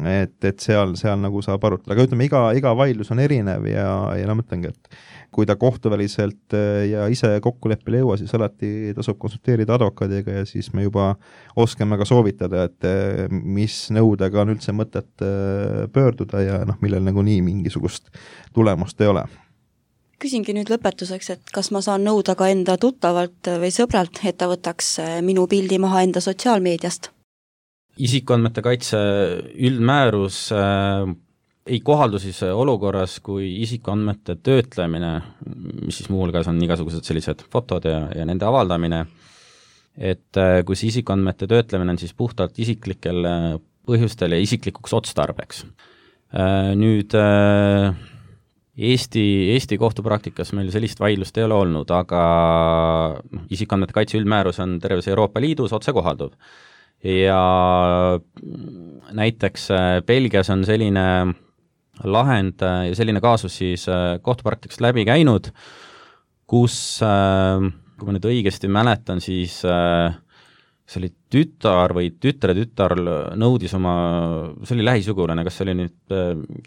Et, et seal, seal nagu saab arutada, aga ütleme, iga, iga vaidlus on erinev ja, ja no mõtlengi, et kui ta kohtuväliselt ja ise kokkuleppele ei jõua, siis alati tasub konsulteerida advokaadiga ja siis me juba oskame ka soovitada, et mis nõudega on üldse mõtet pöörduda ja noh, millel nagu nii mingisugust tulemust ei ole. Küsingi nüüd lõpetuseks, et kas ma saan nõuda ka enda tuttavalt või sõbralt, et ta võtaks minu pildi maha enda sotsiaalmeediast? Isikuandmete kaitse üldmäärus äh, ei kohaldu siis olukorras, kui isikuandmete töötlemine, mis siis muuhulgas on igasugused sellised fotod ja, ja nende avaldamine, et äh, kui see isikuandmete töötlemine on siis puhtalt isiklikel põhjustel ja isiklikuks otstarbeks. Äh, nüüd äh, Eesti, Eesti kohtupraktikas meil sellist vaidlust ei ole olnud, aga isikuandmete kaitse üldmäärus on terves Euroopa Liidus otsekohalduv. Ja näiteks Belgias on selline lahend ja selline kaasus siis kohtupraktikast läbi käinud, kus, kui ma nüüd õigesti mäletan, siis see oli tütar või tütre tütar nõudis oma, see oli lähisugulane, kas see oli nüüd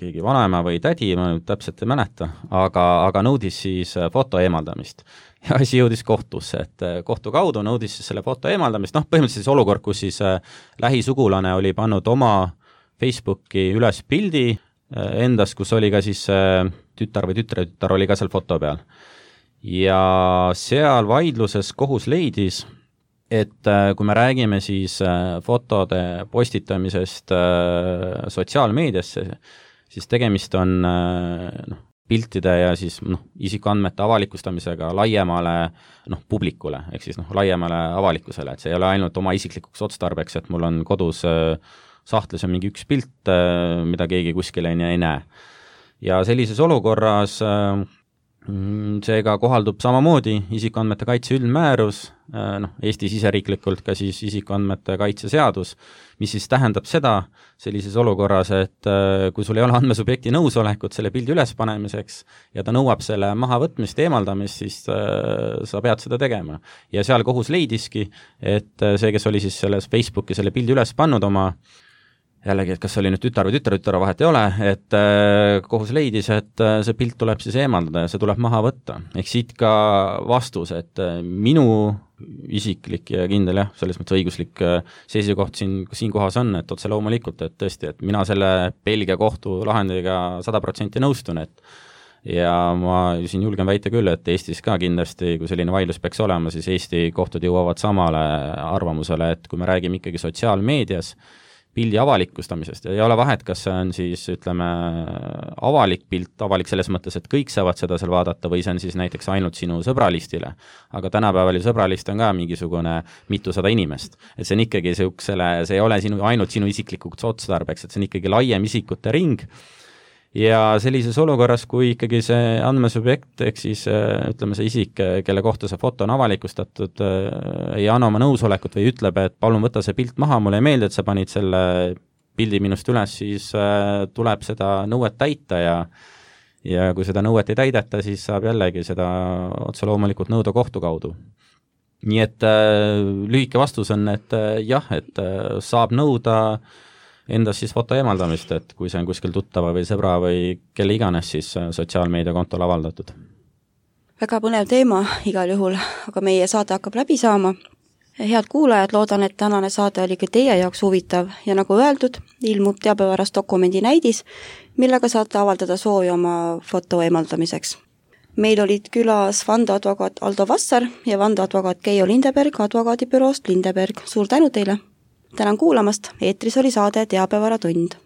keegi vanaema või tädi, ma nüüd täpselt ei mäleta, aga, aga nõudis siis foto eemaldamist. Ja asi jõudis kohtusse, et kohtu kaudu nõudis siis selle foto eemaldamist, noh, põhimõtteliselt olukorra, kus siis lähisugulane oli pannud oma Facebooki üles pildi endas, kus oli ka siis tütar või tütre tütar oli ka seal foto peal. Ja seal vaidluses kohus leidis, et kui me räägime siis fotode postitamisest sotsiaalmeediasse, siis tegemist on noh, piltide ja siis noh, isikuandmete avalikustamisega laiemale noh, publikule, ehk siis noh, laiemale avalikkusele, et see ei ole ainult oma isiklikuks otstarbeks, et mul on kodus sahtlis on mingi üks pilt, mida keegi kuskil ei näe. ja sellises olukorras seega kohaldub samamoodi isikuandmete kaitse üldmäärus, noh, Eesti siseriiklikult ka siis isikuandmete kaitse seadus, mis siis tähendab seda sellises olukorras, et kui sul ei ole andmesubjekti nõusolekut selle pildi ülespanemiseks ja ta nõuab selle mahavõtmist, eemaldamist, siis sa pead seda tegema. Ja seal kohus leidiski, et see, kes oli siis selles Facebooki selle pildi üles pannud oma jällegi, et kas oli nüüd tütar või tütar, tütar vahet ei ole, et kohus leidis, et see pilt tuleb siis eemaldada ja see tuleb maha võtta. Ehk siit ka vastus, et minu isiklik ja kindel jah, selles mõttes õiguslik seisukoht siin, siin kohas on, et otse loomulikult, et tõesti, et mina selle Belgia kohtu lahendiga sada protsenti nõustun, et ja ma siin julgen väita küll, et Eestis ka kindlasti, kui selline vaidlus peaks olema, siis Eesti kohtud jõuavad samale arvamusele, et kui me räägime ikkagi sotsiaalmeedias pildi avalikustamisest ja ei ole vahet, kas see on siis, ütleme, avalik pilt, avalik selles mõttes, et kõik saavad seda seal vaadata või see on siis näiteks ainult sinu sõbralistile, aga tänapäeval ju sõbralist on ka mingisugune mitusada inimest, et see on ikkagi siuksele, see ei ole sinu, ainult sinu isiklikuks otstarbeks, et see on ikkagi laiem isikute ring ja sellises olukorras, kui ikkagi see andmesubjekt, ehk siis ütleme see isik, kelle kohta see foto on avalikustatud, ei anna oma nõusolekut või ütleb, et palun võta see pilt maha, mulle ei meeldi, et sa panid selle pildi minust üles, siis tuleb seda nõuet täita ja ja kui seda nõuet ei täideta, siis saab jällegi seda otse loomulikult nõuda kohtu kaudu. Nii et lühike vastus on, et jah, et saab nõuda endas siis foto eemaldamist, et kui see on kuskil tuttava või sõbra või kelle iganes siis sotsiaalmeedia kontol avaldatud. Väga põnev teema igal juhul, aga meie saade hakkab läbi saama. Head kuulajad, loodan, et tänane saade oli ka teie jaoks huvitav ja nagu öeldud, ilmub teabevaras dokumendi näidis, millega saate avaldada soovi oma foto eemaldamiseks. Meil olid külas vandeadvokaat Aldo Vassar ja vandeadvokaat Keijo Lindeberg advokaadibüroost Lindeberg. Suur tänu teile! Tänan kuulamast, eetris oli saade Teabevaratund.